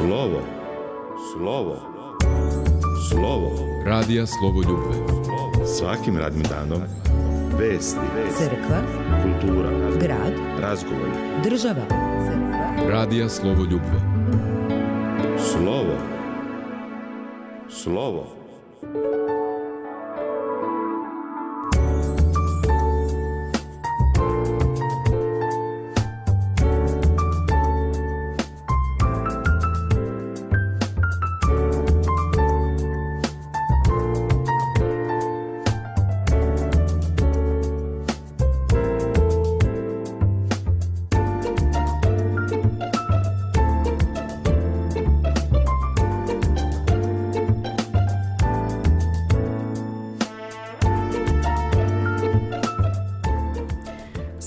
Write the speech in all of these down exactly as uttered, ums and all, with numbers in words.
Slovo, slovo, slovo. Radija Slovoljubve. Svakim radnim danom vesti, crkva, kultura, grad, razgovor, država. Crkva. Radija Slovoljubve. Slovo, slovo.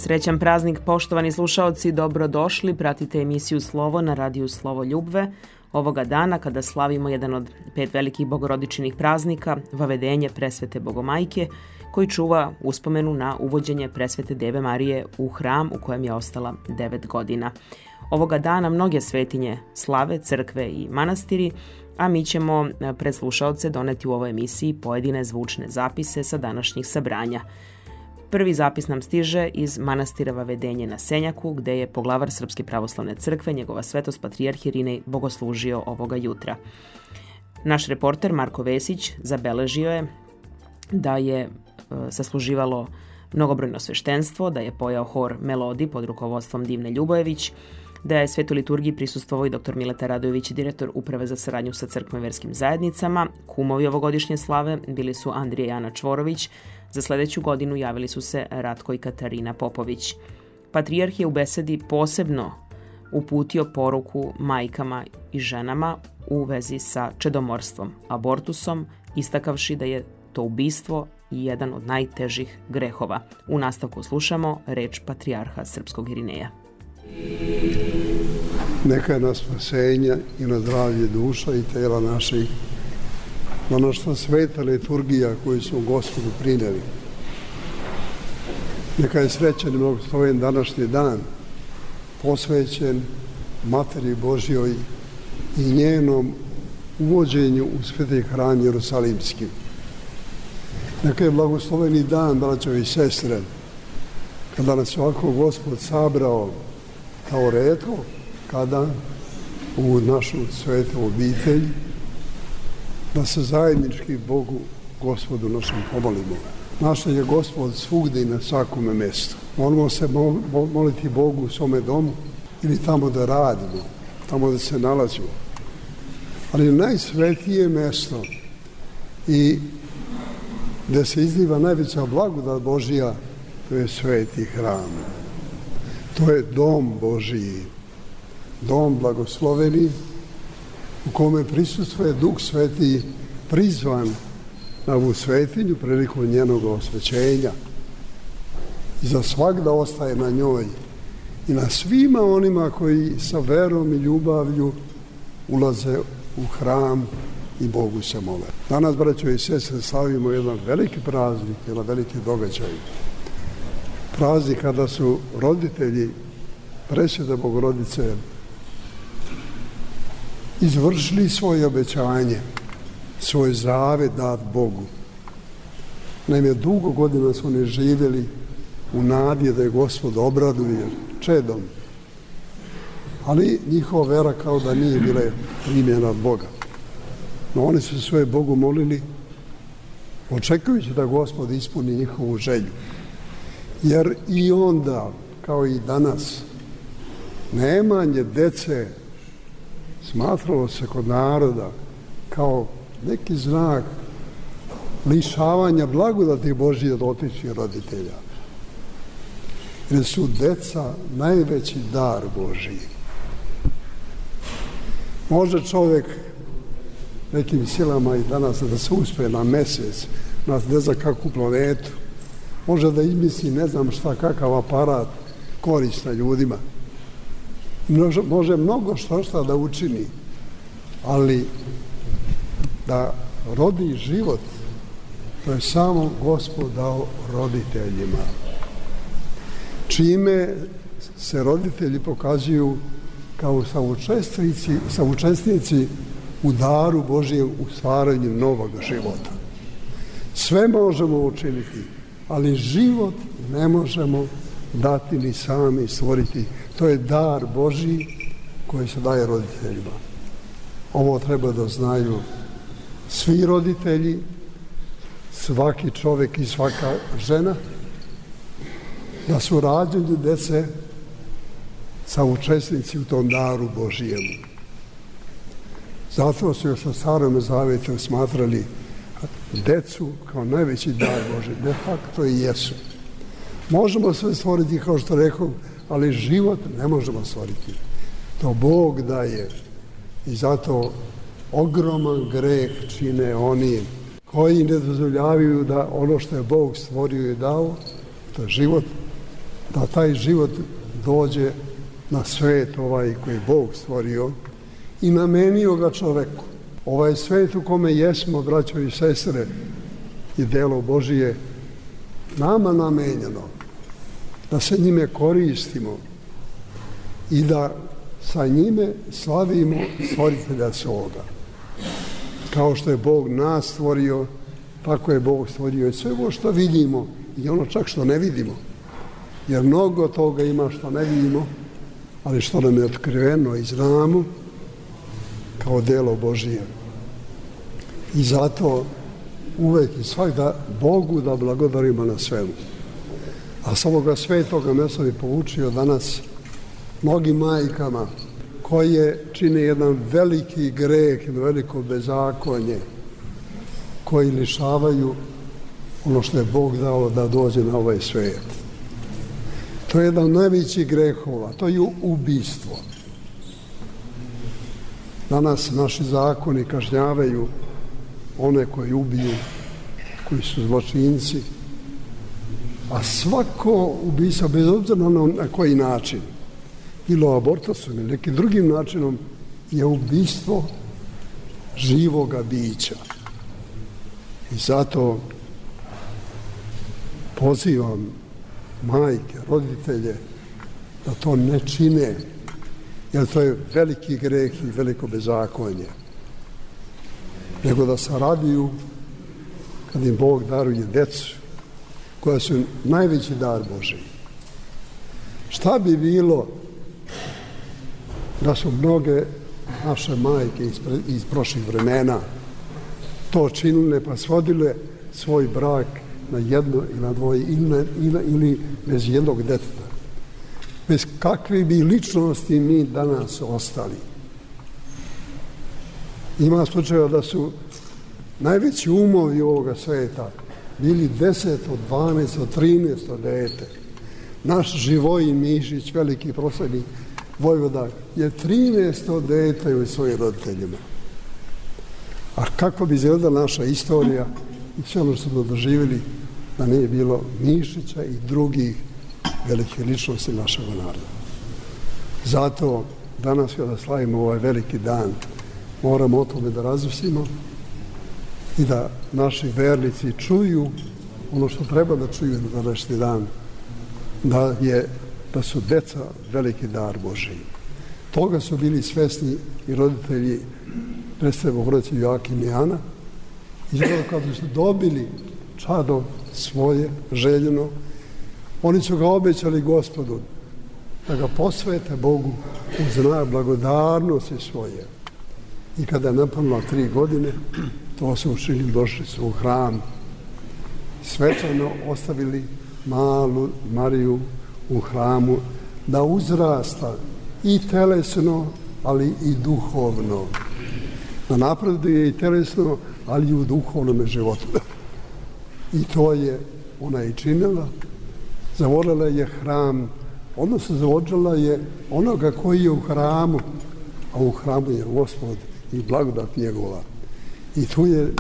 Srećan praznik, poštovani slušaoci, dobrodošli. Pratite emisiju Slovo na radiju Slovoljubve. Ovoga dana, kada slavimo jedan od pet velikih bogorodičnih praznika, Vavedenje presvete Bogomajke, koji čuva uspomenu na uvođenje presvete Deve Marije u hram u kojem je ostala devet godina. Ovoga dana mnoge svetinje slave, crkve i manastiri, a mi ćemo pred slušaoce doneti u ovoj emisiji pojedine zvučne zapise sa današnjih sabranja. Prvi zapis nam stiže iz manastira Vavedenje na Senjaku, gde je poglavar Srpske pravoslavne crkve, njegova svetost patrijarh Irinej, bogoslužio ovoga jutra. Naš reporter Marko Vesić zabeležio je da je e, sasluživalo mnogobrojno sveštenstvo, da je pojao hor Melodi pod rukovodstvom Divne Ljubojević, da je svetu liturgiji prisustvovao i doktor Mileta Radojević, direktor Uprave za saradnju sa crkvom i verskim zajednicama. Kumovi ovogodišnje slave bili su Andrija i Ana Čvorović. Za sledeću godinu javili su se Ratko i Katarina Popović. Patrijarh je u besedi posebno uputio poruku majkama i ženama u vezi sa čedomorstvom, abortusom, istakavši da je to ubistvo i jedan od najtežih grehova. U nastavku slušamo reč patrijarha srpskog Irineja. Neka je na spasenje i na zdravlje duša i tela naših, na naša sveta liturgija koju smo Gospodu prineli. Neka je srećan i blagosloven današnji dan, posvećen Materi Božjoj i njenom uvođenju u sveti hram Jerusalimski. Neka je blagosloveni dan, braćo i sestre, kada nas ovako Gospod sabrao kao retko, kada u našu svetu obitelj, da se zajednički Bogu, Gospodu našem pomolimo. Naša je Gospod svugdje i na svakome mjestu. Moramo se moliti Bogu u svome domu ili tamo da radimo, tamo da se nalazimo. Ali najsvetije mjesto i gdje se izliva najveća blagodat Božija, to je sveti hram. To je dom Božiji, dom blagosloveni, u kome prisustvuje Duh Sveti prizvan na ovu svetinju prilikom njenog osvećenja. I za svak da ostaje na njoj i na svima onima koji sa verom i ljubavlju ulaze u hram i Bogu se mole. Danas, braćo i sestre, slavimo jedan veliki praznik, jedan veliki događaj. Praznik kada su roditelji presvete Bogorodice izvršili svoje obećanje, svoj zavet dat Bogu. Naime, dugo godina su oni živjeli u nadi da je Gospod obraduje čedom, ali njihova vera kao da nije bila primljena od Boga. No oni su svoje Bogu molili, očekujući da Gospod ispuni njihovu želju. Jer i onda, kao i danas, nemanje dece smatralo se kod naroda kao neki znak lišavanja blagodati Božije od otišćih roditelja. Jer su deca najveći dar Božiji. Može čovjek nekim silama i danas da se uspije na mjesec, na ne znam kakvu planetu, može da izmisli ne znam šta, kakav aparat koristan ljudima. Može, može mnogo što šta da učini, ali da rodi život, to je samo Gospod dao roditeljima. Čime se roditelji pokazuju kao saučesnici, saučesnici u daru Božijem u stvaranju novog života. Sve možemo učiniti, ali život ne možemo dati ni sami stvoriti. To je dar Božji koji se daje roditeljima. Ovo treba da znaju svi roditelji, svaki čovjek i svaka žena, da su rađeni dece saučesnici u tom daru Božijemu. Zato su još u Starom Zavetu smatrali decu kao najveći dar Božji. De facto i jesu. Možemo sve stvoriti, kao što rekao, ali život ne možemo stvoriti. To Bog daje. I zato ogroman greh čine oni koji ne dozvoljavaju da ono što je Bog stvorio i dao, to je život, da taj život dođe na svet ovaj koji Bog stvorio i namenio ga čoveku. Ovaj svet u kome jesmo, braćo i sestre, je delo Božije nama namenjeno, da se njime koristimo i da sa njime slavimo stvoritelja svoga. Kao što je Bog nas stvorio, tako je Bog stvorio i sve ovo što vidimo i ono čak što ne vidimo. Jer mnogo toga ima što ne vidimo, ali što nam je otkriveno i znamo kao delo Božije. I zato uvek i svakda Bogu da blagodarimo na svemu. A s ovoga svetoga mesta bi poučio danas mnogim majkama koje čine jedan veliki greh, jedno veliko bezakonje, koji lišavaju ono što je Bog dao da dođe na ovaj svet. To je jedan od najvećih grehova, to je ubistvo. Danas naši zakoni kažnjavaju one koji ubiju, koji su zločinci, a svako ubistvo, bez obzira na koji način, bilo abortusom ili nekim drugim načinom, je ubistvo živoga bića. I zato pozivam majke, roditelje, da to ne čine, jer to je veliki greh i veliko bezakonje. Nego da se raduju kad im Bog daruje decu, koja su najveći dar Božiji. Šta bi bilo da su mnoge naše majke iz, iz prošlih vremena to činile pa svodile svoj brak na jedno ili na dvoje ili, na, ili, ili bez jednog deteta. Bez kakve bi ličnosti mi danas ostali. Ima slučajeva da su najveći umovi ovoga sveta bili deseto, dvanaesto, trinaesto dete. Naš Živojin Mišić, veliki proslavni vojvoda, je trinaesto dete u svojim roditeljima. A kako bi izgledala naša istorija i sve ono što smo doživjeli da nije bilo Mišića i drugih velikih ličnosti našeg naroda. Zato danas kada slavimo ovaj veliki dan, moramo o tome da razmislimo i da naši vernici čuju ono što treba da čuju na današnji dan, da, je, da su deca veliki dar Božiji. Toga su bili svesni i roditelji predstave Bogorodice Joakim i Ana. I zato kada su dobili čado svoje željeno, oni su ga obećali Gospodu da ga posvete Bogu u znak blagodarnosti svoje. I kada je napunila tri godine, to su učinili, došli su u hram, svečano ostavili malu Mariju u hramu da uzrasta i telesno, ali i duhovno. Da napreduje i telesno, ali i u duhovnom životu. I to je ona i činila. Zavolila je hram, odnosno zavolila je onoga koji je u hramu, a u hramu je Gospod i blagodat njegova. I tu je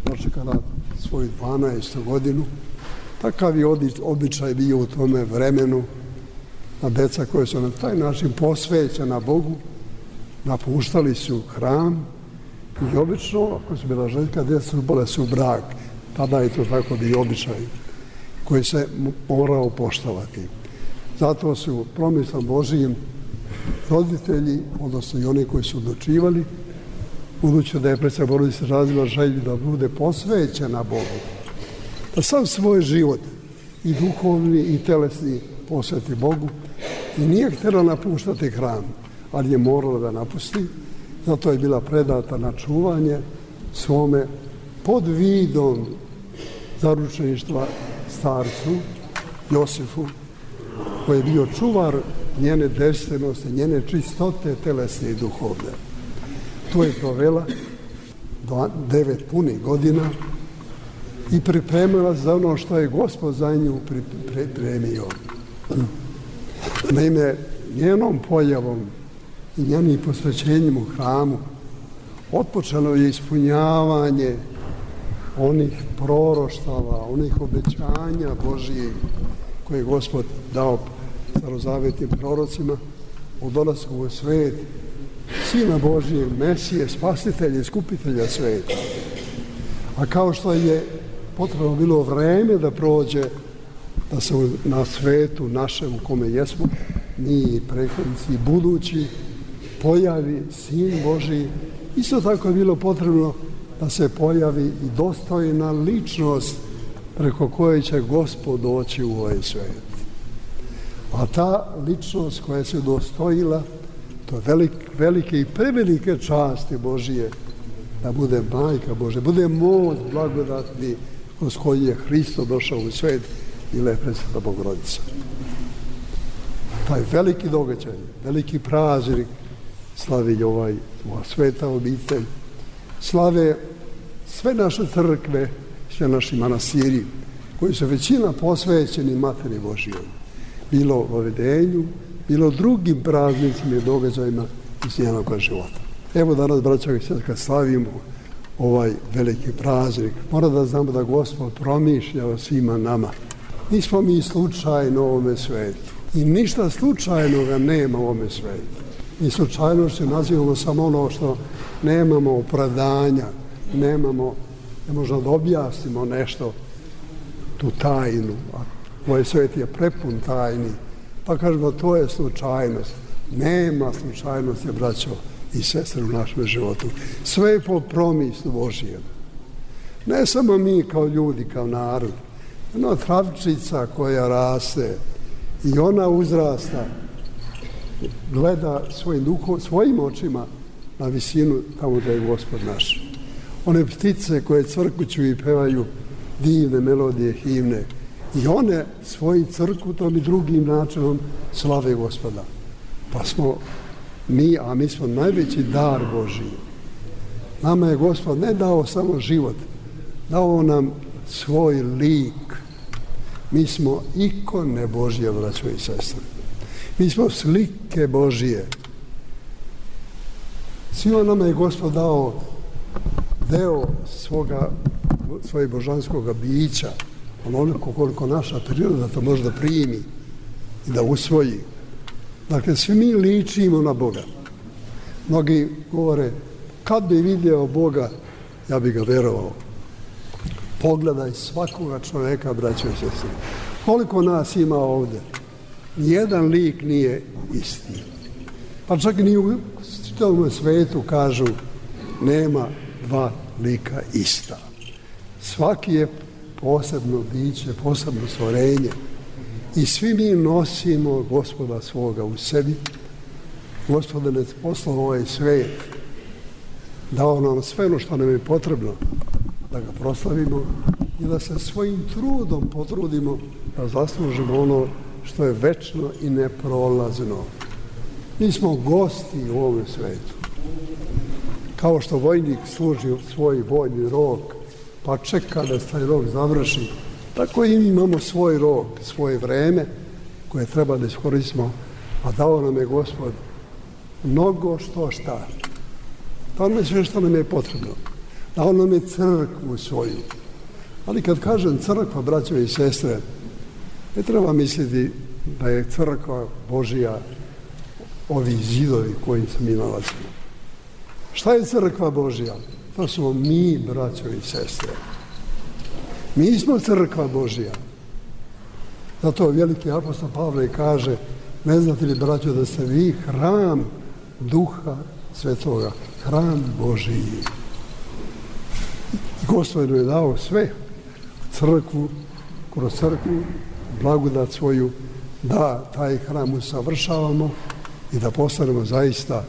dočekala svoju dvanaestu godinu. Takav je običaj bio u tome vremenu, na deca koje su na taj način posvećena Bogu, napuštali su hram i obično, ako su bila ženska, deca bile su u brak. Tada je to tako bio običaj koji se morao poštovati. Zato su promislom Božijim roditelji, odnosno i oni koji su odlučivali, budući da je predsjedna Bogorodica razvila želju da bude posvećena Bogu, da sam svoj život i duhovni i telesni posveti Bogu i nije htjela napuštati hram, ali je morala da napusti, zato je bila predata na čuvanje svome pod vidom zaručeništva starcu Josifu, koji je bio čuvar njene devstvenosti, njene čistote telesne i duhovne. To je provela devet punih godina i pripremila za ono što je Gospod za nju pripremio. Naime, njenom pojavom i njenim posvećenjem u hramu otpočelo je ispunjavanje onih proroštava, onih obećanja Božijeg koje je Gospod dao starozavetnim prorocima o dolasku u svet Sina Božijeg, Mesije, Spasitelja i Skupitelja sveta. A kao što je potrebno bilo vreme da prođe, da se na svetu našem u kome jesmo, mi i prethodnici i budući, pojavi Sin Božiji, isto tako je bilo potrebno da se pojavi i dostojna ličnost preko koje će Gospod doći u ovaj svet. A ta ličnost koja se dostojila, to je velik, velike i prevelike časti Božije, da bude majka Božja, bude most blagodatni kroz koji je Hristo došao u svet, bila je Presveta Bogorodica. Taj veliki događaj, veliki praznik slavi ovaj sveta obitelj, slave sve naše crkve, sve naši manastiri, koji su većina posvećeni Materi Božijoj, bilo o vedenju, bilo drugim praznicima i događajima iz njenog života. Evo danas, braćo i sestre, kad slavimo ovaj veliki praznik, mora da znamo da Gospod promišlja o svima nama. Nismo mi slučajno u ovome svetu i ništa slučajnoga nema u ovome svetu. Mi slučajnošću nazivamo samo ono što nemamo opravdanja, nemamo, ne možemo da objasnimo nešto, tu tajnu, a ovaj svet je prepun tajni, pa kažemo to je slučajnost. Nema slučajnosti, braćo i sestre, u našem životu. Sve je po promislu Božijem. Ne samo mi kao ljudi, kao narod, jedna travčica koja raste i ona uzrasta, gleda svojim, duhom, svojim očima na visinu tamo da je Gospod naš. One ptice koje crkuću i pevaju divne melodije, himne, i one svojim crkutom i drugim načinom slave Gospoda. Pa smo mi, a mi smo najveći dar Božiji. Nama je Gospod ne dao samo život, dao nam svoj lik. Mi smo ikone Božije, braćo i sestre. Mi smo slike Božije. Svima nama je Gospod dao deo svoga, svoje božanskog bića, onoliko koliko naša priroda to može da primi i da usvoji. Dakle, svi mi ličimo na Boga. Mnogi govore, kad bi vidio Boga, ja bi ga verovao. Pogledaj svakoga čoveka, braćo i sestre. Koliko nas ima ovde? Nijedan lik nije isti. Pa čak ni u čitavom svetu kažu, nema dva lika ista. Svaki je posebno biće, posebno stvorenje. I svi mi nosimo Gospoda svoga u sebi. Gospod nas poslao ovaj svet, dao nam sve ono što nam je potrebno da ga proslavimo i da se svojim trudom potrudimo da zaslužimo ono što je večno i neprolazno. Mi smo gosti u ovom svetu. Kao što vojnik služi svoj vojni rok, pa čeka da se taj rok završi, tako i mi imamo svoj rok, svoje vreme koje treba da iskoristimo, a dao nam je Gospod mnogo što šta. Dao nam je sve što nam je potrebno. Dao nam je crkvu svoju. Ali kad kažem crkva, braćo i sestre, ne treba misliti da je crkva Božija ovi zidovi koji se mi nalazimo. Šta je crkva Božija? To smo mi, braćo i sestre. Mi smo crkva Božija. Zato veliki apostol Pavle kaže, Ne znate li, braćo, da ste vi hram Duha Svetoga, hram Božiji. Gospod je dao sve, crkvu, kroz crkvu, blagodat svoju, da taj hram usavršavamo i da postanemo zaista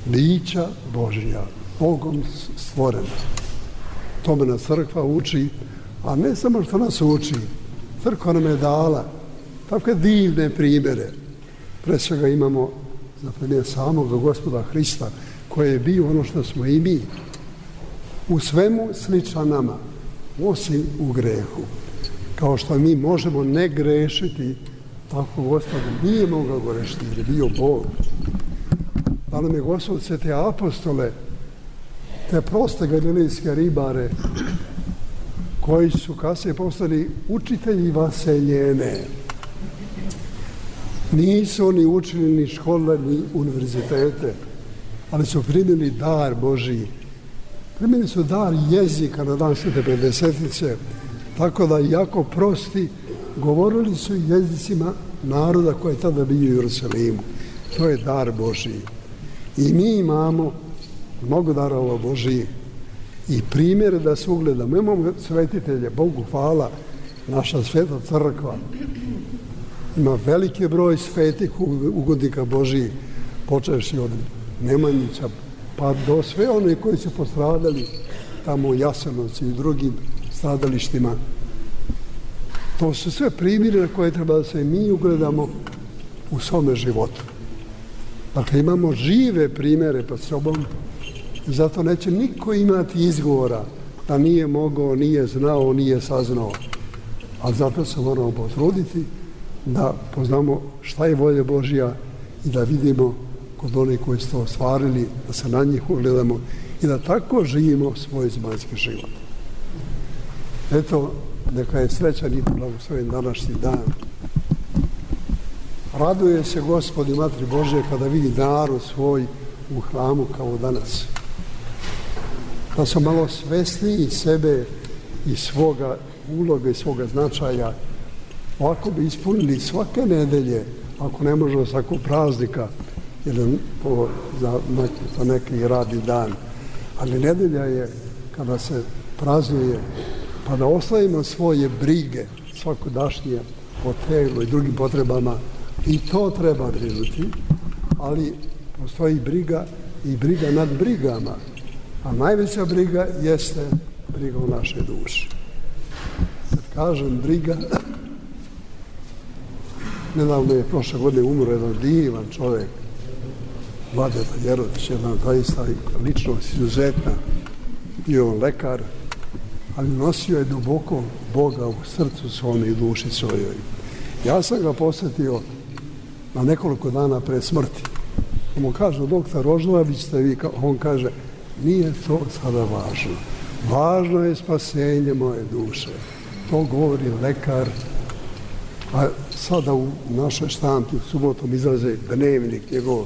bića Božja, Bogom stvorena. Tome nas crkva uči, a ne samo što nas uči, crkva nam je dala takve divne primjere. Pre svega imamo za primjer samog Gospoda Hrista, koji je bio ono što smo i mi, u svemu sličan nama, osim u grehu. Kao što mi možemo ne grešiti, tako Gospod nije mogao grešiti, jer je bio Bog. Da nam je Gospod sve te apostole, te proste galilejske ribare, koji su kasnije postali učitelji vaseljene. Nisu oni učili ni škole, ni univerzitete, ali su primili dar Božiji. Primili su dar jezika na dan Svete Pedesetice, tako da jako prosti govorili su jezicima naroda koji je tada bio u Jerusalimu. To je dar Božiji. I mi imamo mnogo darova Božiji i primjere da se ugledamo. Imamo svetitelje, Bogu hvala, naša sveta crkva ima veliki broj svetih ugodnika Božiji, počevši od Nemanjića pa do sve one koji su postradali tamo u Jasenovcu i drugim stradalištima. To su sve primjere na koje treba da se mi ugledamo u svome životu. Dakle, imamo žive primjere pod sobom i zato neće niko imati izgovora da nije mogao, nije znao, nije saznao. Ali zato se moramo potruditi da poznamo šta je volja Božja i da vidimo kod onih koji su to ostvarili, da se na njih ugledamo i da tako živimo svoj zemaljski život. Eto, neka je srećan i blagosloven današnji dan. Raduje se Gospod i Materi Božje kada vidi narod svoj u hramu kao danas. Da su malo svesniji sebe i svoga uloga i svoga značaja, ovako bi ispunili svake nedelje, ako ne može svakog praznika, ili za neki, za neki radni dan. Ali nedelja je kada se praznuje, pa da ostavimo svoje brige svakodašnje po telu i drugim potrebama, i to treba brinuti, ali postoji briga i briga nad brigama, a najveća briga jeste briga u našoj duši. Kad kažem briga, nedavno je prošle godine umro jedan divan čovjek, Vladeta Jerović, jedan zaista ličnost izuzetna, bio on lekar, ali nosio je duboko Boga u srcu svome i duši svojoj. Ja sam ga posjetio na nekoliko dana pred smrti. On mu kaže, doktor Rožnović ste vi, on kaže, nije to sada važno. Važno je spasenje moje duše. To govori lekar. A sada u našoj štampi u subotom izlaze dnevnik njegov,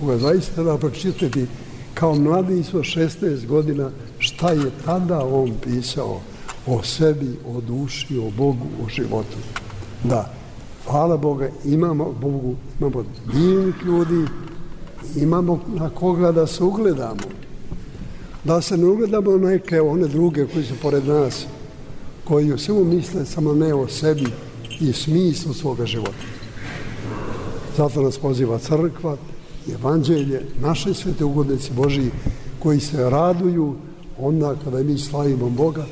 koga zaista treba pročitati kao mladić od šesnaest godina šta je tada on pisao o sebi, o duši, o Bogu, o životu. Da, hvala Boga, imamo Bogu, imamo divnih ljudi, imamo na koga da se ugledamo. Da se ne ugledamo neke one druge koji su pored nas, koji u svemu misle samo ne o sebi i smislu svoga života. Zato nas poziva crkva, evanđelje, naše svete ugodnici Božiji, koji se raduju onda kada mi slavimo Boga,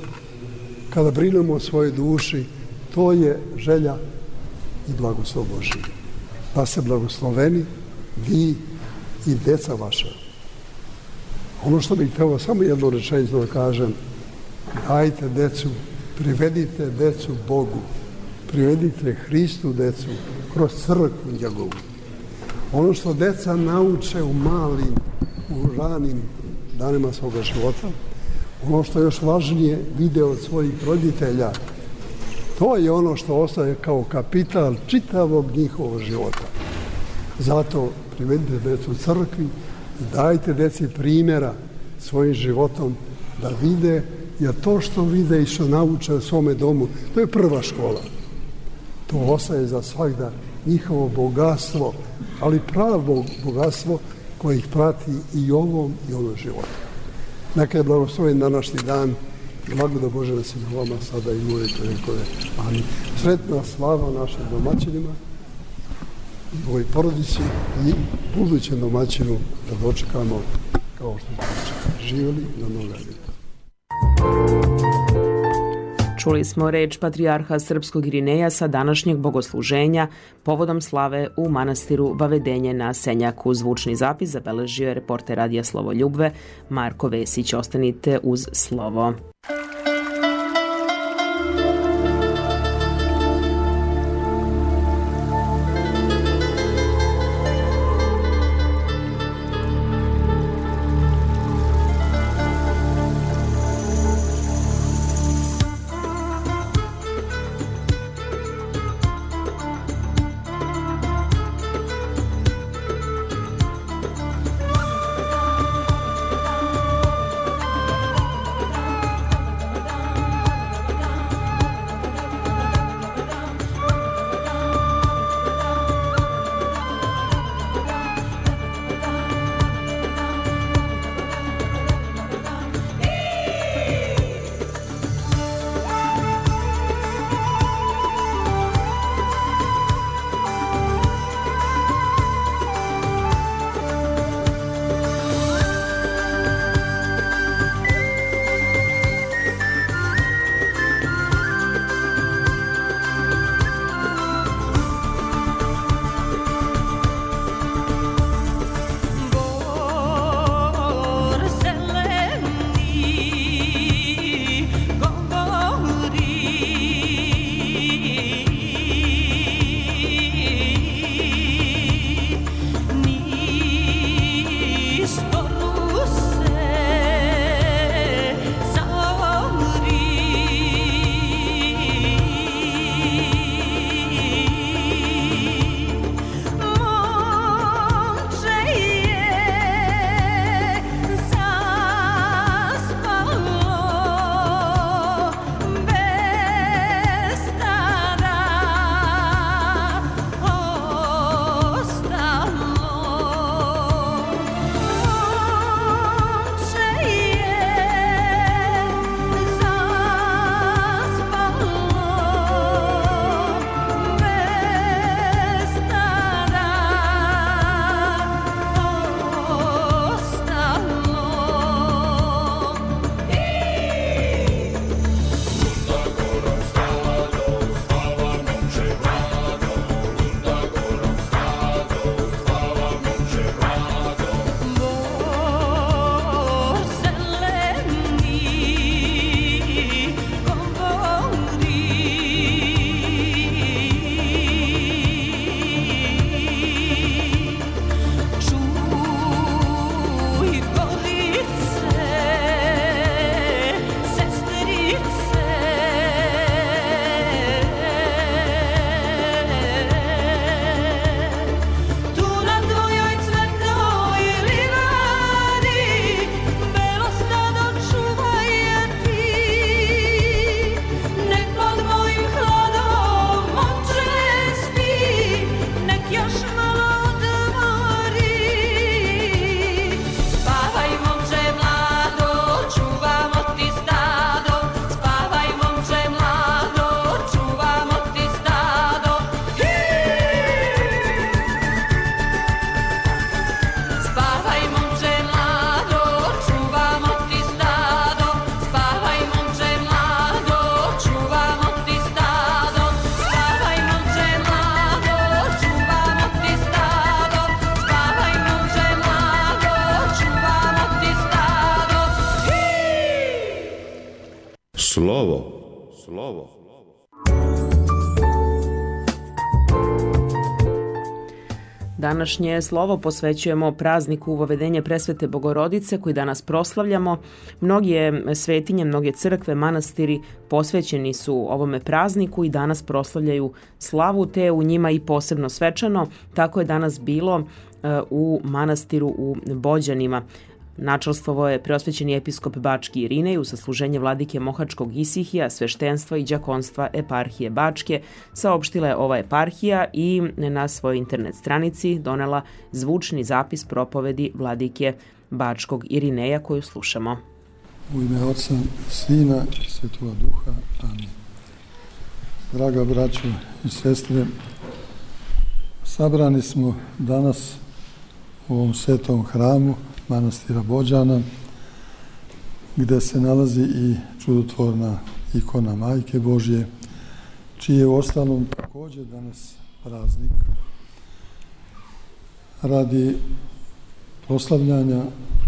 kada brinemo o svojoj duši. To je želja i blagoslov Božiji. Da se blagosloveni vi i deca vaša. Ono što bih htio samo jednu rečenicu da kažem, dajte decu, privedite decu Bogu, privedite Hristu decu kroz crkvu njegovu. Ono što deca nauče u malim, u ranim danima svoga života, ono što je još važnije vide od svojih roditelja, to je ono što ostaje kao kapital čitavog njihovog života. Zato privedite decu u crkvi i dajte deci primjera svojim životom da vide, jer to što vide i što nauče u svome domu, to je prva škola. To ostaje za svakda njihovo bogatstvo, ali pravo bogatstvo koje ih prati i ovom i ovom životu. Neka je blagosloven današnji dan i blagoda Bože da se na vama sada i moje vekove. Amin. Sretna slava našim domaćinima i ovoj porodici i budućem domaćinu da dočekamo kao što smo dočekali. Živjeli na mnoga ljeta. Čuli smo reč patrijarha Srpskog Irineja sa današnjeg bogosluženja povodom slave u manastiru Vavedenje na Senjaku. Zvučni zapis zabeležio je reporter Radija Slovo Ljubve Marko Vesić. Ostanite uz slovo. Slovo. Slovo. Današnje slovo posvećujemo prazniku Vavedenje Presvete Bogorodice koji danas proslavljamo. Mnoge svetinje, mnoge crkve, manastiri posvećeni su ovome prazniku i danas proslavljaju slavu, te u njima i posebno svečano. Tako je danas bilo u manastiru u Bođanima. Načelstvovo je preosvećeni episkop Bački Irinej u sasluženje vladike Mohačkog Isihija, sveštenstva i đakonstva eparhije Bačke. Saopštila je ova eparhija i na svojoj internet stranici donela zvučni zapis propovedi vladike Bačkog Irineja koju slušamo. U ime Oca, Sina i Svetoga Duha. Amin. Draga braćo i sestre, sabrani smo danas u ovom svetom hramu manastira Bođana, gde se nalazi i čudotvorna ikona Majke Božje, čiji je u ostalom također danas praznik, radi proslavljanja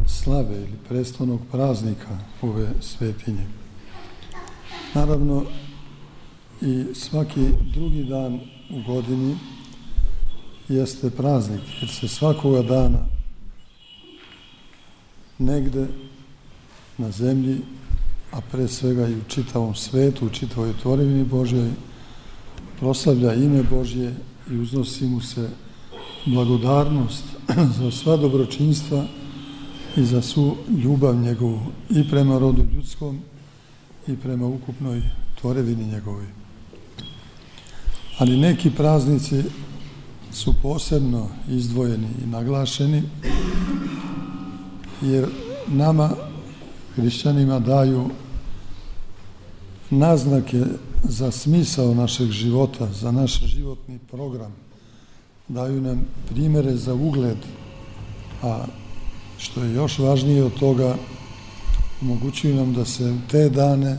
slave ili prestolnog praznika ove svetinje. Naravno, i svaki drugi dan u godini jeste praznik, jer se svakoga dana negde na zemlji, a pre svega i u čitavom svetu, u čitavoj tvorevini Božjoj, proslavlja ime Božje i uznosi mu se blagodarnost za sva dobročinstva i za svu ljubav njegovu i prema rodu ljudskom i prema ukupnoj tvorevini njegovoj. Ali neki praznici su posebno izdvojeni i naglašeni, jer nama, hrišćanima, daju naznake za smisao našeg života, za naš životni program. Daju nam primere za ugled, a što je još važnije od toga, omogućuju nam da se te dane,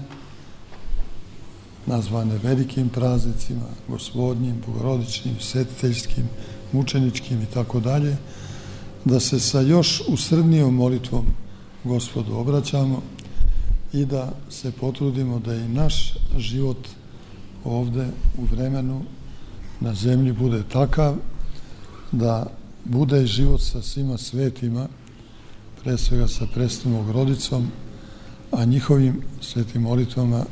nazvane velikim praznicima, gospodnjim, bogorodičnim, svetiteljskim, mučeničkim i tako dalje, da se sa još usrdnijom molitvom Gospodu obraćamo i da se potrudimo da i naš život ovde u vremenu na zemlji bude takav da bude život sa svima svetima, pre svega sa presnom Bogrodicom, a njihovim svetim molitvama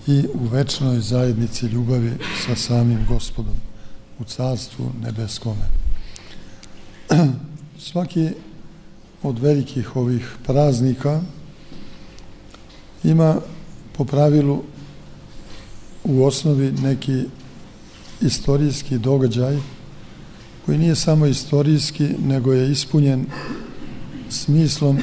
i u večnoj zajednici ljubavi sa samim Gospodom u carstvu nebeskome. Svaki od velikih ovih praznika ima po pravilu u osnovi neki istorijski događaj koji nije samo istorijski, nego je ispunjen smislom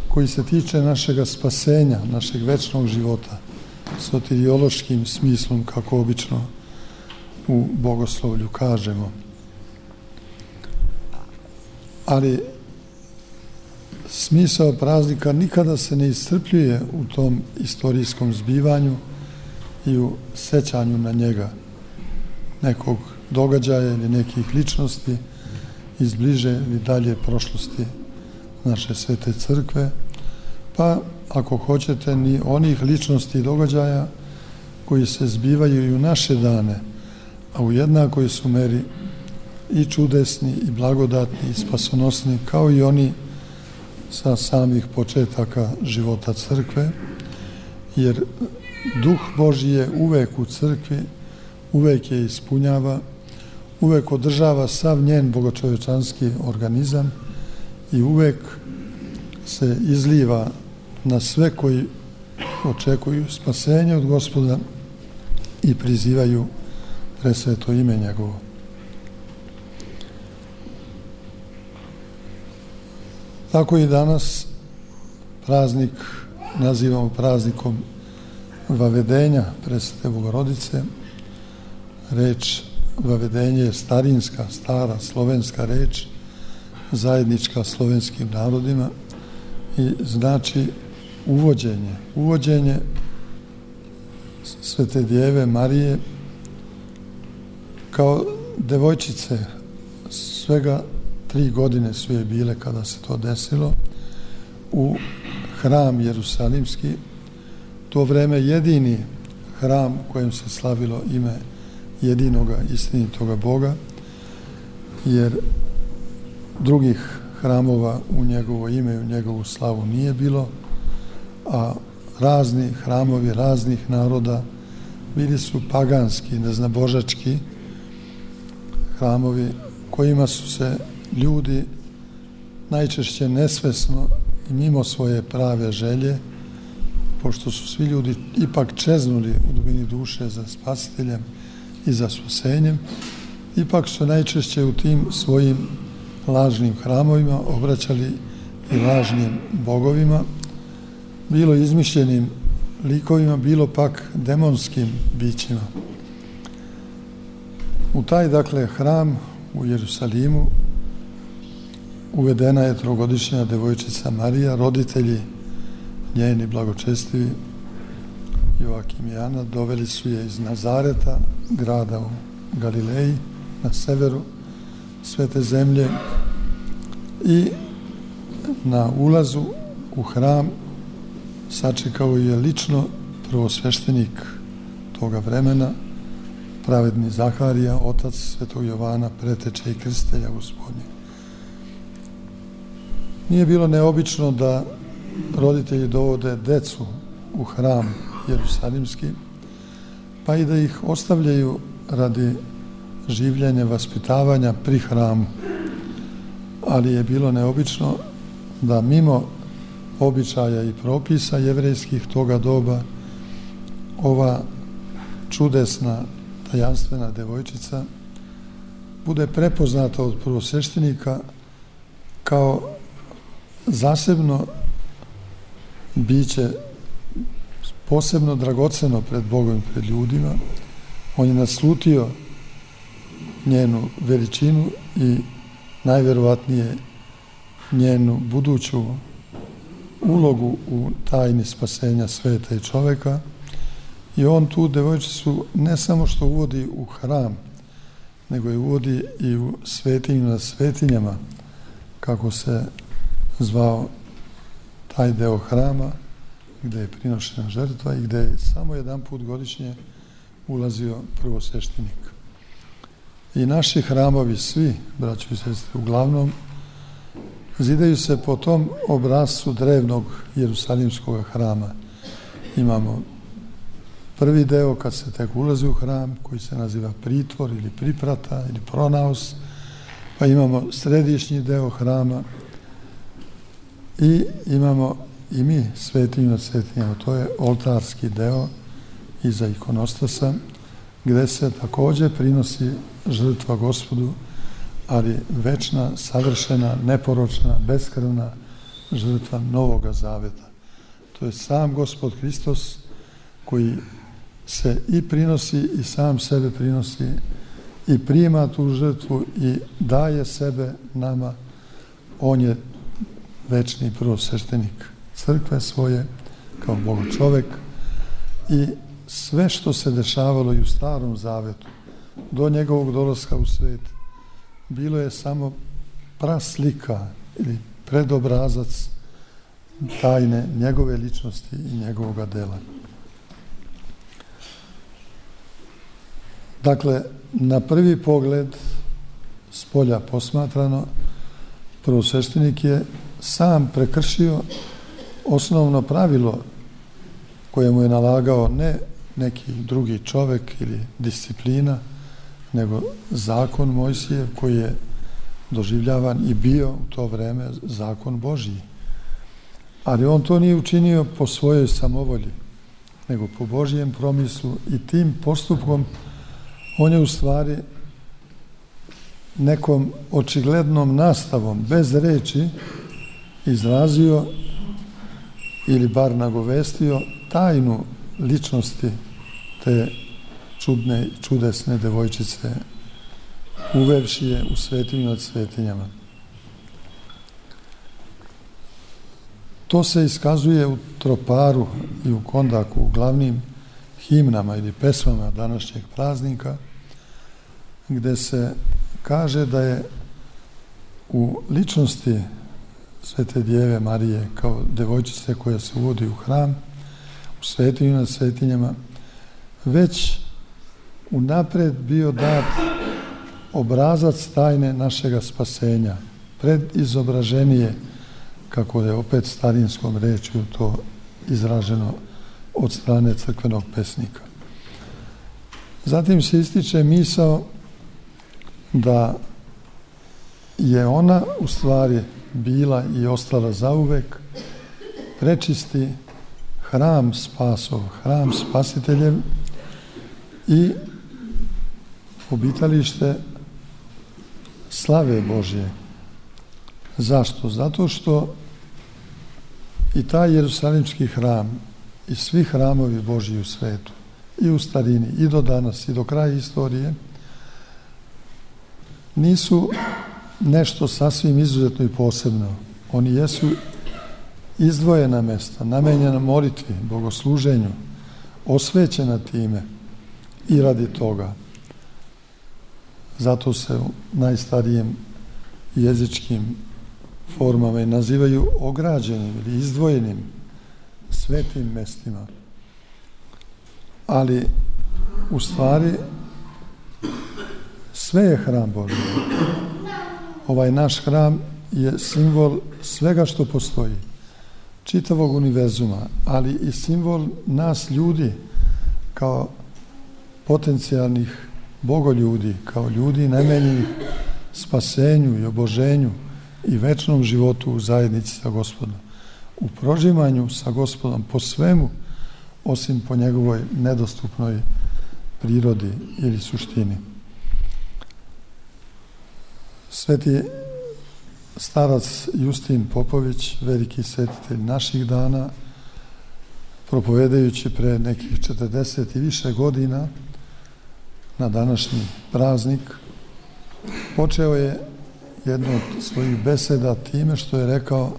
koji se tiče našega spasenja, našeg večnog života, soteriološkim smislom, kako obično u bogoslovlju kažemo. Ali smisao praznika nikada se ne iscrpljuje u tom istorijskom zbivanju i u sećanju na njega, nekog događaja ili nekih ličnosti iz bliže ili dalje prošlosti naše svete crkve, pa ako hoćete ni onih ličnosti i događaja koji se zbivaju i u naše dane, a u jednakoj su meri i čudesni i blagodatni i spasonosni kao i oni sa samih početaka života crkve, jer Duh Božji je uvek u crkvi, uvek je ispunjava, uvek održava sav njen bogočovečanski organizam i uvek se izliva na sve koji očekuju spasenje od Gospoda i prizivaju presveto ime njegovo. Tako i danas praznik nazivamo praznikom vavedenja presvete Bogorodice. Reč vavedenje je starinska, stara slovenska reč, zajednička slovenskim narodima i znači uvođenje. Uvođenje Svete Djeve Marije kao devojčice, svega tri godine su je bile kada se to desilo, u hram Jerusalimski, to vreme jedini hram u kojem se slavilo ime jedinoga istinitoga Boga, jer drugih hramova u njegovo ime i u njegovu slavu nije bilo, a razni hramovi raznih naroda bili su paganski, neznabožački hramovi kojima su se ljudi najčešće nesvesno i mimo svoje prave želje, pošto su svi ljudi ipak čeznuli u dubini duše za spasiteljem i za spasenjem, ipak su najčešće u tim svojim lažnim hramovima obraćali i lažnim bogovima, bilo izmišljenim likovima, bilo pak demonskim bićima. U taj, dakle, hram u Jerusalimu uvedena je trogodišnja devojčica Marija, roditelji njeni blagočestivi Joakim i Ana doveli su je iz Nazareta, grada u Galileji, na severu Svete zemlje, i na ulazu u hram sačekao je lično prvosveštenik toga vremena, pravedni Zaharija, otac Svetog Jovana, preteče i krstitelja Gospodnjeg. Nije bilo neobično da roditelji dovode decu u hram Jerusalimski, pa i da ih ostavljaju radi življenja, vaspitavanja pri hramu. Ali je bilo neobično da mimo običaja i propisa jevrejskih toga doba ova čudesna, tajanstvena devojčica bude prepoznata od prvosveštenika kao zasebno biće, posebno dragoceno pred Bogom i pred ljudima. On je naslutio njenu veličinu i najverovatnije njenu buduću ulogu u tajni spasenja sveta i čoveka, i on tu devojčicu ne samo što uvodi u hram, nego je uvodi i u svetinju na svetinjama, kako se zvao taj deo hrama gde je prinošena žrtva i gde je samo jedan put godišnje ulazio prvosveštenik. I naši hramovi svi, braćo i sestre, uglavnom zidaju se po tom obrascu drevnog Jerusalimskog hrama. Imamo prvi deo kad se tek ulazi u hram, koji se naziva pritvor ili priprata ili pronaos, pa imamo središnji deo hrama i imamo i mi svetinju nad svetinjama, to je oltarski deo iza ikonostasa, gde se takođe prinosi žrtva Gospodu, ali večna, savršena, neporočna, beskrvna žrtva Novoga Zaveta. To je sam Gospod Hristos koji se i prinosi i sam sebe prinosi i prima tu žrtvu i daje sebe nama. On je večni prvosveštenik crkve svoje kao Bogočovek, i sve što se dešavalo i u Starom Zavetu do njegovog dolaska u svet bilo je samo praslika ili predobrazac tajne njegove ličnosti i njegovoga dela. Dakle, na prvi pogled, s polja posmatrano, prvosveštenik je sam prekršio osnovno pravilo koje mu je nalagao ne neki drugi čovek ili disciplina, nego zakon Mojsijev, koji je doživljavan i bio u to vreme zakon Božji. Ali on to nije učinio po svojoj samovolji, nego po Božjem promislu, i tim postupkom on je u stvari nekom očiglednom nastavom, bez reči, izrazio ili bar nagovestio tajnu ličnosti te čudne i čudesne devojčice, uvevši je u svetinju nad svetinjama. To se iskazuje u troparu i u kondaku, u glavnim himnama ili pesmama današnjeg praznika, gde se kaže da je u ličnosti Svete Djeve Marije kao devojčice koja se uvodi u hram, u svetinju nad svetinjama, već unapred bio dat obrazac tajne našega spasenja, predizobraženije, kako je opet starinskom rečju to izraženo od strane crkvenog pesnika. Zatim se ističe misao da je ona u stvari bila i ostala zauvek, prečisti hram spasov, hram spasiteljev i obitalište slave Božje. Zašto? Zato što i taj Jerusalimski hram i svi hramovi Božji u svetu, i u starini, i do danas, i do kraja istorije, nisu nešto sasvim izuzetno i posebno. Oni jesu izdvojena mesta, namenjena molitvi, bogosluženju, osvećena time i radi toga. Zato se u najstarijim jezičkim formama i nazivaju ograđenim ili izdvojenim svetim mestima. Ali u stvari sve je hram Božji. Ovaj naš hram je simbol svega što postoji, čitavog univerzuma, ali i simbol nas ljudi kao potencijalnih bogoljudi, kao ljudi namenjenih spasenju i oboženju i večnom životu u zajednici sa Gospodom, u prožimanju sa Gospodom po svemu, osim po njegovoj nedostupnoj prirodi ili suštini. Sveti starac Justin Popović, veliki svetitelj naših dana, propovedajući pre nekih četrdeset i više godina na današnji praznik, počeo je jednu od svojih beseda time što je rekao: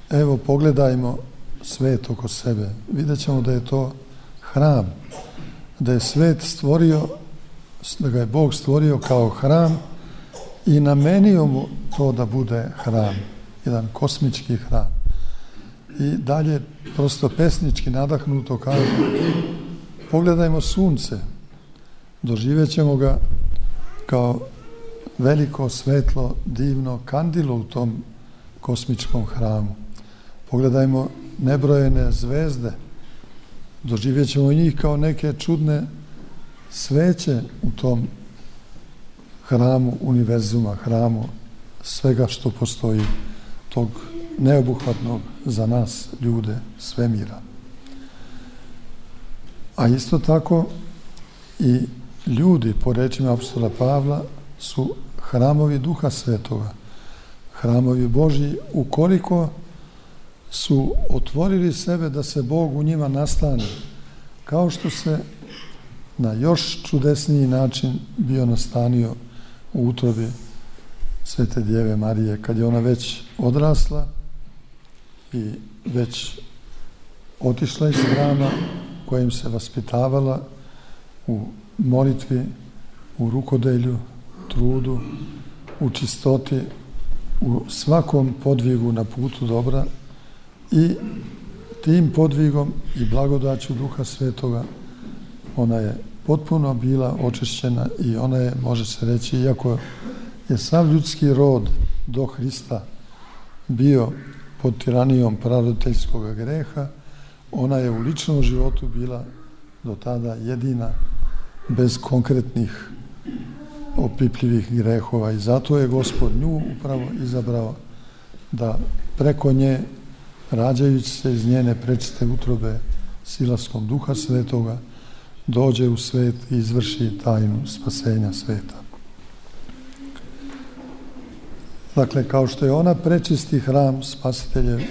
evo, pogledajmo svet oko sebe. Vidjet ćemo da je to hram, da je svet stvorio, da ga je Bog stvorio kao hram i namenio mu to da bude hram, jedan kosmički hram. I dalje prosto pesnički nadahnuto kaže: pogledajmo sunce, doživjet ćemo ga kao veliko, svetlo, divno kandilo u tom kosmičkom hramu. Pogledajmo nebrojene zvezde, doživjet ćemo njih kao neke čudne sveće u tom hramu univerzuma, hramu svega što postoji, tog neobuhvatnog za nas ljude svemira. A isto tako i ljudi, po rečima apostola Pavla, su hramovi Duha Svetoga, hramovi Božji, ukoliko su otvorili sebe da se Bog u njima nastane, kao što se na još čudesniji način bio nastanio u utrobi Svete Djeve Marije, kad je ona već odrasla i već otišla iz hrama kojim se vaspitavala u molitvi, u rukodelju, trudu, u čistoti, u svakom podvigu na putu dobra, i tim podvigom i blagodaću Duha Svetoga ona je potpuno bila očišćena i ona je, može se reći, iako je sav ljudski rod do Hrista bio pod tiranijom praroditeljskog greha, ona je u ličnom životu bila do tada jedina bez konkretnih opipljivih grehova i zato je Gospod nju upravo izabrao da preko nje, rađajući se iz njene prečiste utrobe silaskom Duha Svetoga, dođe u svet i izvrši tajnu spasenja sveta. Dakle, kao što je ona prečisti hram spasiteljev,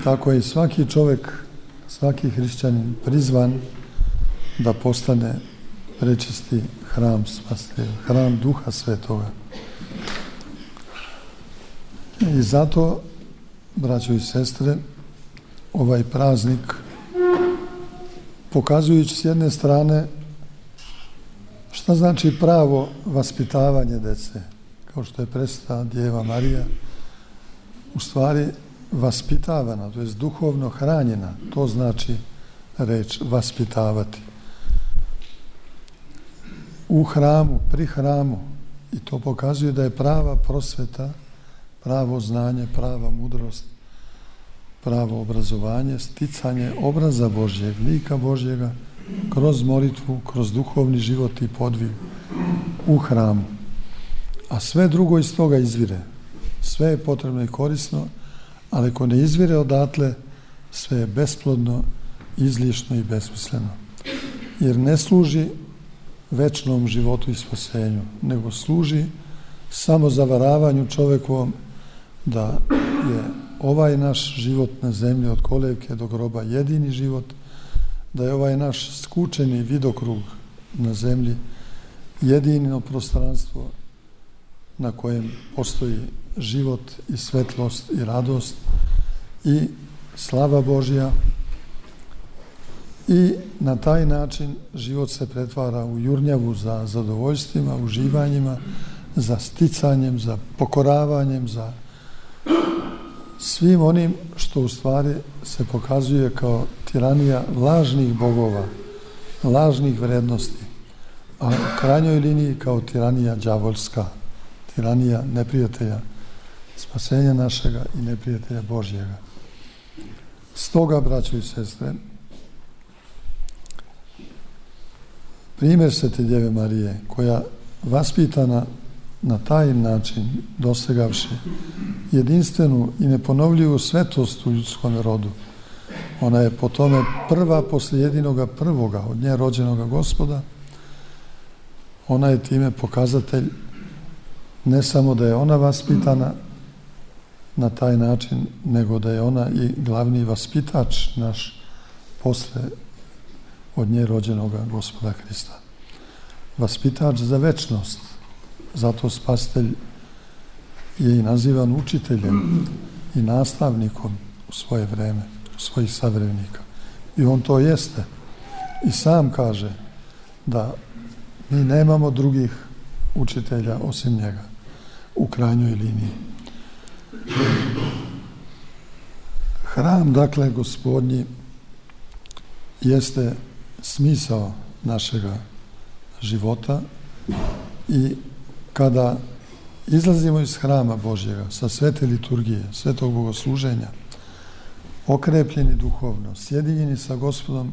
tako je i svaki čovjek, svaki hrišćanin prizvan da postane prečisti hram spasiteljev, hram Duha Svetoga. I zato, braćo i sestre, ovaj praznik, pokazujući s jedne strane šta znači pravo vaspitavanje dece, kao što je presvetna Djeva Marija, u stvari vaspitavana, to je duhovno hranjena, to znači reč vaspitavati. U hramu, pri hramu, i to pokazuje da je prava prosveta, pravo znanje, prava mudrost, pravo obrazovanje, sticanje obraza Božjeg, lika Božjega, kroz molitvu, kroz duhovni život i podvig u hramu. A sve drugo iz toga izvire. sve je potrebno i korisno, ali ako ne izvire odatle, sve je besplodno, izlišno i besmisleno. Jer ne služi večnom životu i spasenju, nego služi samo zavaravanju čovekovom da je ovaj naš život na zemlji od kolevke do groba jedini život, da je ovaj naš skučeni vidokrug na zemlji jedino prostranstvo na kojem postoji život i svetlost i radost i slava Božja, i na taj način život se pretvara u jurnjavu za zadovoljstvima, uživanjima, za sticanjem, za pokoravanjem, za svim onim što u stvari se pokazuje kao tiranija lažnih bogova, lažnih vrednosti, a u krajnjoj liniji kao tiranija đavolska, tiranija neprijatelja spasenja našega i neprijatelja Božjega. Stoga, braćo i sestre, primjer Svete Djeve Marije, koja vaspitana na taj način, dosegavši jedinstvenu i neponovljivu svetost u ljudskom rodu, ona je po tome prva posle jedinoga prvoga od nje rođenoga Gospoda. Ona je time pokazatelj ne samo da je ona vaspitana na taj način, nego da je ona i glavni vaspitač naš posle od nje rođenoga Gospoda Hrista. Vaspitač za večnost. Zato Spasitelj je i nazivan učiteljem i nastavnikom u svoje vreme, u svojih savremenika. I on to jeste. I sam kaže da mi nemamo drugih učitelja osim njega u krajnjoj liniji. Hram, dakle, Gospodnji, jeste smisao našega života i kada izlazimo iz hrama Božjega sa svete liturgije, svetog bogosluženja, okrepljeni duhovno, sjedinjeni sa Gospodom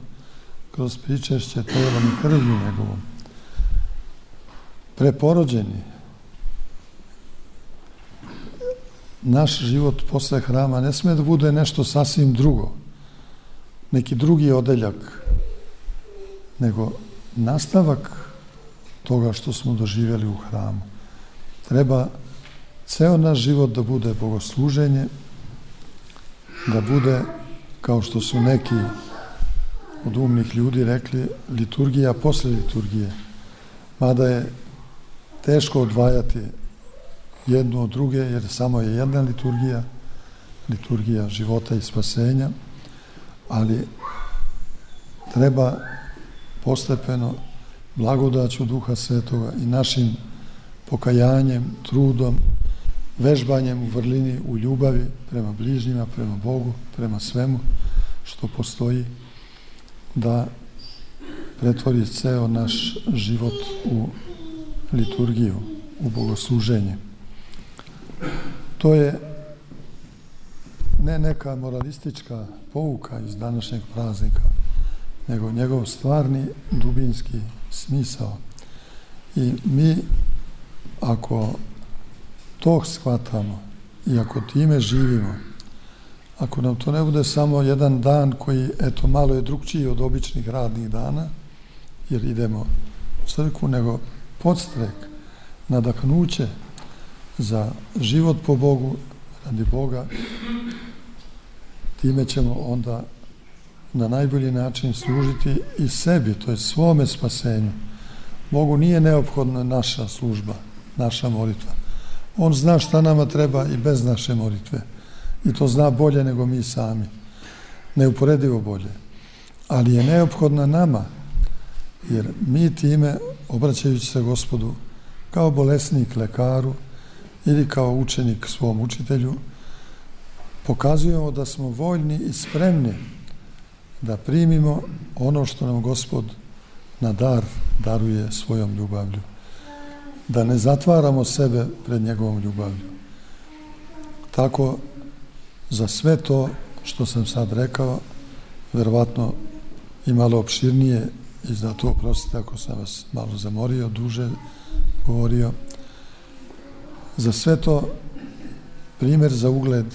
kroz pričešće telom i krvlju njegovom, preporođeni, naš život posle hrama ne sme da bude nešto sasvim drugo, neki drugi odeljak, nego nastavak toga što smo doživjeli u hramu. Treba ceo naš život da bude bogosluženje, da bude, kao što su neki od umnih ljudi rekli, liturgija posle liturgije. Mada je teško odvajati jednu od druge, jer samo je jedna liturgija, liturgija života i spasenja, ali treba postepeno blagodaću Duha Svetoga i našim pokajanjem, trudom, vežbanjem u vrlini, u ljubavi prema bližnjima, prema Bogu, prema svemu što postoji, da pretvori ceo naš život u liturgiju, u bogosluženje. To je ne neka moralistička pouka iz današnjeg praznika, nego njegov stvarni, dubinski smisao. I mi, ako to shvatamo i ako time živimo, ako nam to ne bude samo jedan dan koji, eto, malo je drugčiji od običnih radnih dana, jer idemo u crkvu, nego podstrek, nadahnuće za život po Bogu, radi Boga, time ćemo onda na najbolji način služiti i sebi, to je svome spasenju. Bogu nije neophodna naša služba, naša molitva. On zna šta nama treba i bez naše molitve. I to zna bolje nego mi sami. Neuporedivo bolje. Ali je neophodna nama, jer mi time, obraćajući se Gospodu kao bolesnik lekaru ili kao učenik svom učitelju, pokazujemo da smo voljni i spremni da primimo ono što nam Gospod na dar daruje svojom ljubavlju. Da ne zatvaramo sebe pred njegovom ljubavlju. Tako, za sve to što sam sad rekao, verovatno i malo opširnije, i zato oprostite ako sam vas malo zamorio, duže govorio, za sve to primjer za ugled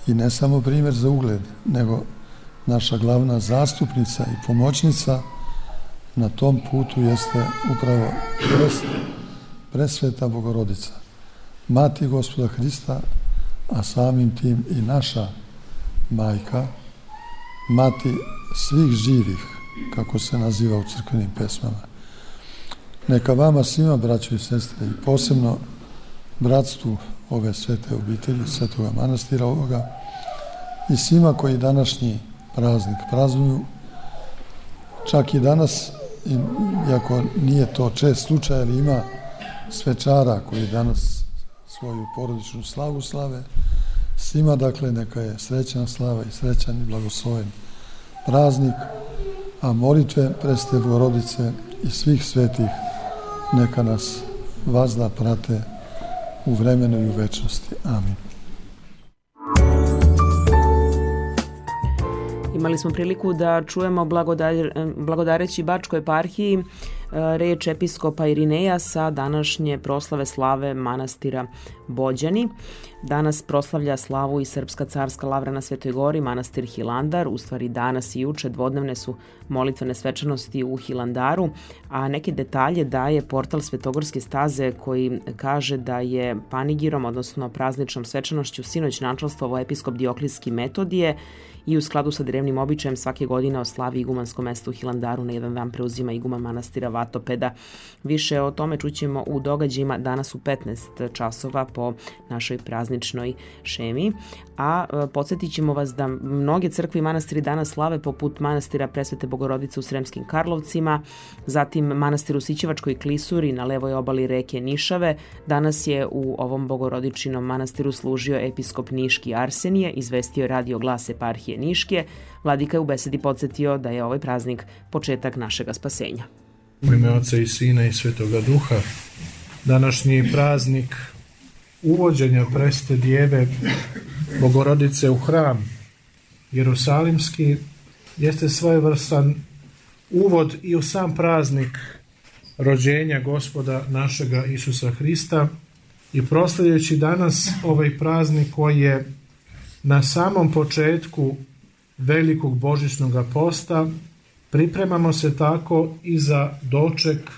i ne samo primjer za ugled, nego naša glavna zastupnica i pomoćnica na tom putu jeste upravo pres, presveta Bogorodica, Mati Gospoda Hrista, a samim tim i naša majka, mati svih živih, kako se naziva u crkvenim pesmama. Neka vama svima, braćo i sestre, i posebno bratstvu ove svete obitelji, svetoga manastira ovoga, i svima koji današnji praznik praznuju, čak i danas, iako nije to čest slučaj, ali ima svečara koji danas svoju porodičnu slavu slave, svima, dakle, neka je srećna slava i srećan i blagosloven praznik, a molitve Presvete Bogorodice i svih svetih neka nas vazda prate u vremenu i u večnosti. Amin. Imali smo priliku da čujemo blagodareći Bačkoj eparhiji reč episkopa Irineja sa današnje proslave slave manastira Bođani. Danas proslavlja slavu i Srpska carska lavra na Svetoj Gori, manastir Hilandar. U stvari danas i juče dvodnevne su molitvene svečanosti u Hilandaru, a neke detalje daje portal Svetogorske staze koji kaže da je panigirom, odnosno prazničnom svečanošću sinoć načelstvovao episkop Dioklijski Metodije i u skladu sa drevnim običajem svake godine o slavi igumansko mesto u Hilandaru na jedan dan preuzima iguman manastira Vatopeda. Više o tome čućemo u događajima danas u petnaest časova po našoj prazničnoj šemi. A podsjetit ćemo vas da mnoge crkve i manastiri danas slave, poput manastira Presvete Bogorodice u Sremskim Karlovcima, zatim manastir u Sićevačkoj klisuri na levoj obali reke Nišave. Danas je u ovom bogorodičinom manastiru služio episkop Niški Arsenije, izvestio Radio Glas eparhije Niške. Vladika je u besedi podsjetio da je ovaj praznik početak našega spasenja. U ime Oca i Sina i Svetoga Duha, današnji praznik uvođenja Presvete Djeve Bogorodice u hram Jerusalimski jeste svojevrstan uvod i u sam praznik rođenja Gospoda našega Isusa Hrista, i proslavljajući danas ovaj praznik koji je na samom početku velikog božićnog posta, pripremamo se tako i za doček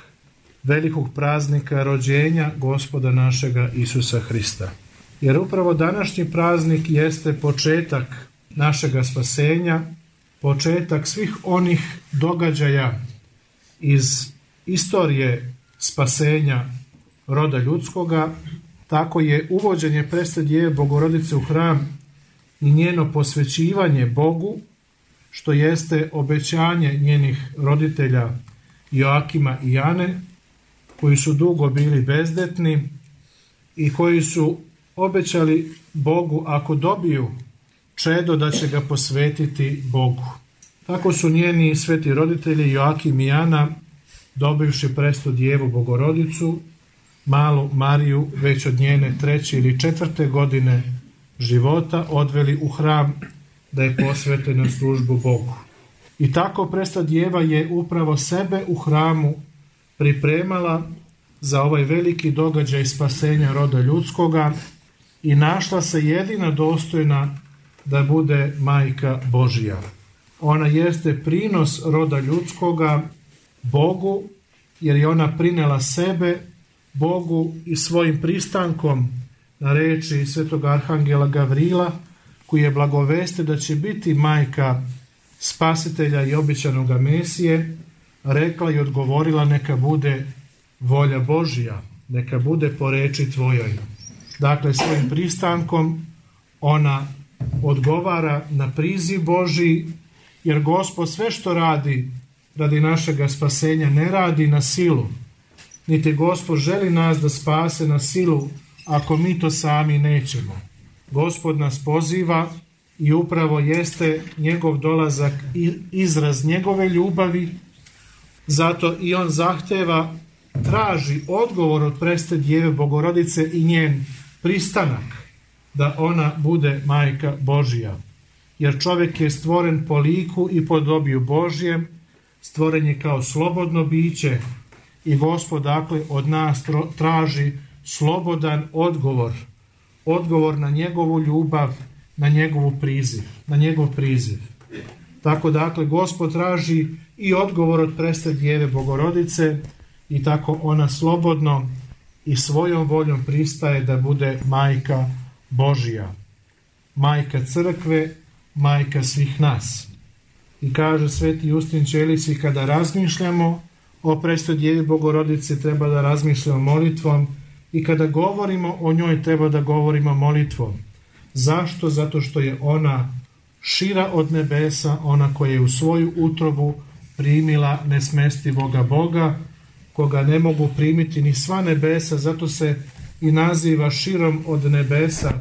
velikog praznika rođenja Gospoda našega Isusa Hrista. Jer upravo današnji praznik jeste početak našega spasenja, početak svih onih događaja iz istorije spasenja roda ljudskoga. Tako je uvođenje Presvete Djeve Bogorodice u hram i njeno posvećivanje Bogu, što jeste obećanje njenih roditelja Joakima i Jane, koji su dugo bili bezdetni i koji su obećali Bogu ako dobiju čedo da će ga posvetiti Bogu. Tako su njeni sveti roditelji Joakim i Jana, dobivši Presvetu Djevu Bogorodicu, malu Mariju, već od njene treće ili četvrte godine života, odveli u hram da je posvete na službu Bogu. I tako Presveta Djeva je upravo sebe u hramu pripremala za ovaj veliki događaj spasenja roda ljudskoga i našla se jedina dostojna da bude Majka Božija. Ona jeste prinos roda ljudskoga Bogu, jer je ona prinela sebe Bogu i svojim pristankom na reči svetog arhangela Gavrila, koji je blagoveste da će biti majka spasitelja i obećanog Mesije, rekla i odgovorila: neka bude volja Božja, neka bude po reči tvojoj. Dakle, svojim pristankom ona odgovara na priziv Božji, jer Gospod sve što radi radi našega spasenja ne radi na silu, niti Gospod želi nas da spase na silu ako mi to sami nećemo. Gospod nas poziva i upravo jeste njegov dolazak izraz njegove ljubavi, zato i on zahteva, traži odgovor od Presvete Djeve Bogorodice i njen pristanak da ona bude Majka Božja. Jer čovjek je stvoren po liku i podobiju Božjem, stvoren je kao slobodno biće i Gospod dakle od nas traži slobodan odgovor odgovor na njegovu ljubav, na njegovu priziv, na njegov priziv. Tako dakle, Gospod traži i odgovor od presve Djeve Bogorodice i tako ona slobodno i svojom voljom pristaje da bude majka Božija, majka crkve, majka svih nas. I kaže sveti Justin Ćelisi, kada razmišljamo o presve Djevi Bogorodice treba da razmišljamo molitvom i kada govorimo o njoj treba da govorimo molitvom. Zašto? Zato što je ona šira od nebesa, ona koja je u svoju utrobu primila nesmestivoga Boga, koga ne mogu primiti ni sva nebesa, zato se i naziva širom od nebesa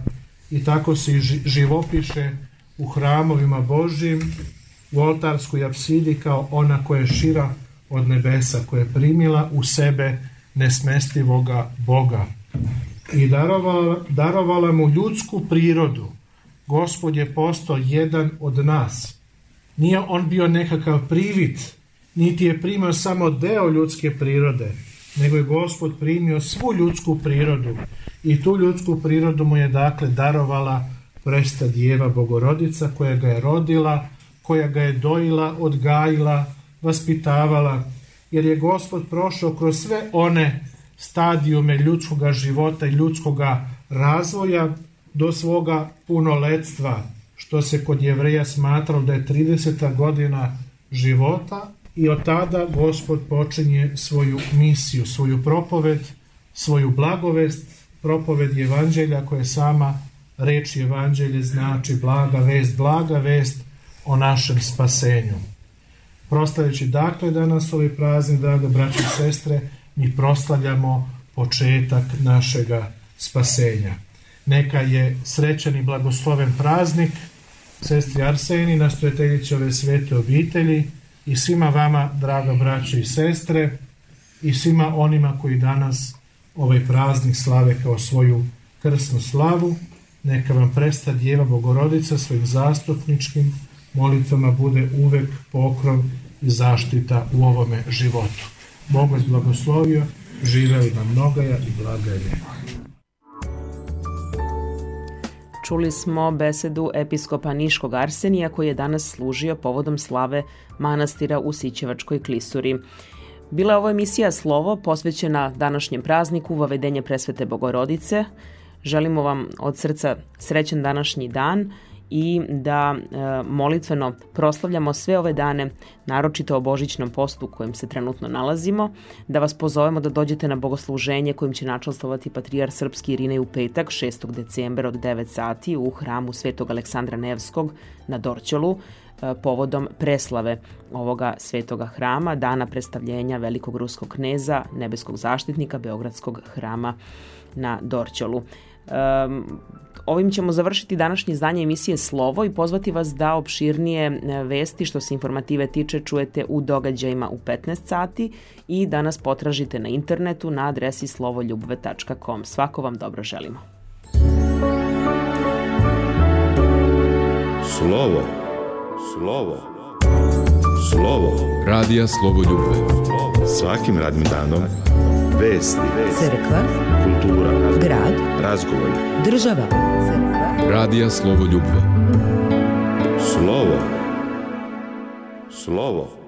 i tako se i živopiše u hramovima Božjim, u oltarskoj apsidi kao ona koja je šira od nebesa, koja je primila u sebe nesmestivoga Boga i darovala, darovala mu ljudsku prirodu. Gospod je postao jedan od nas. Nije on bio nekakav privid, niti je primio samo deo ljudske prirode, nego je Gospod primio svu ljudsku prirodu i tu ljudsku prirodu mu je dakle darovala presva Djeva Bogorodica koja ga je rodila, koja ga je dojila, odgajila, vaspitavala, jer je Gospod prošao kroz sve one stadijume ljudskoga života i ljudskoga razvoja do svoga punoletstva, što se kod Jevreja smatralo da je trideseta godina života i od tada Gospod počinje svoju misiju, svoju propoved, svoju blagovest, propoved Evanđelja koja je sama reč Evanđelje znači blaga vest, blaga vest o našem spasenju. Proslavljajući dakle danas ovaj praznik, draga braće i sestre, mi proslavljamo početak našega spasenja. Neka je srećan i blagosloven praznik sestri Arseni, nastojateljici ove svete obitelji i svima vama, draga braće i sestre, i svima onima koji danas ovaj praznik slave kao svoju krsnu slavu. Neka vam presva Djeva Bogorodica svojim zastupničkim molitvama bude uvek pokrov i zaštita u ovome životu. Bog vas blagoslovio, živeli vam mnogaja i blaga je. Čuli smo besedu episkopa Niškog Arsenija koji je danas služio povodom slave manastira u Sićevačkoj klisuri. Bila je ovo emisija Slovo posvećena današnjem prazniku Vavedenje presvete Bogorodice. Želimo vam od srca srećan današnji dan i da e, molitveno proslavljamo sve ove dane, naročito o Božićnom postu u kojem se trenutno nalazimo, da vas pozovemo da dođete na bogosluženje kojim će načastvovati patrijar srpski Irinej u petak, šestog decembra od devet sati u hramu Svetog Aleksandra Nevskog na Dorćolu, e, povodom preslave ovoga svetoga hrama, dana predstavljenja velikog ruskog kneza, nebeskog zaštitnika Beogradskog hrama na Dorćolu. Um, ovim ćemo završiti današnje izdanje emisije Slovo i pozvati vas da opširnije vesti što se informative tiče čujete u događajima u petnaest sati i da nas potražite na internetu na adresi slovoljubve tačka com. Svako vam dobro želimo. Slovo, slovo, slovo. Radija Slovoljubve. Svakim radnim danom vesti, Crkva, kultura, grad, razgovor, država. Crkva, Radija Slovoljubve. slovo, slovo.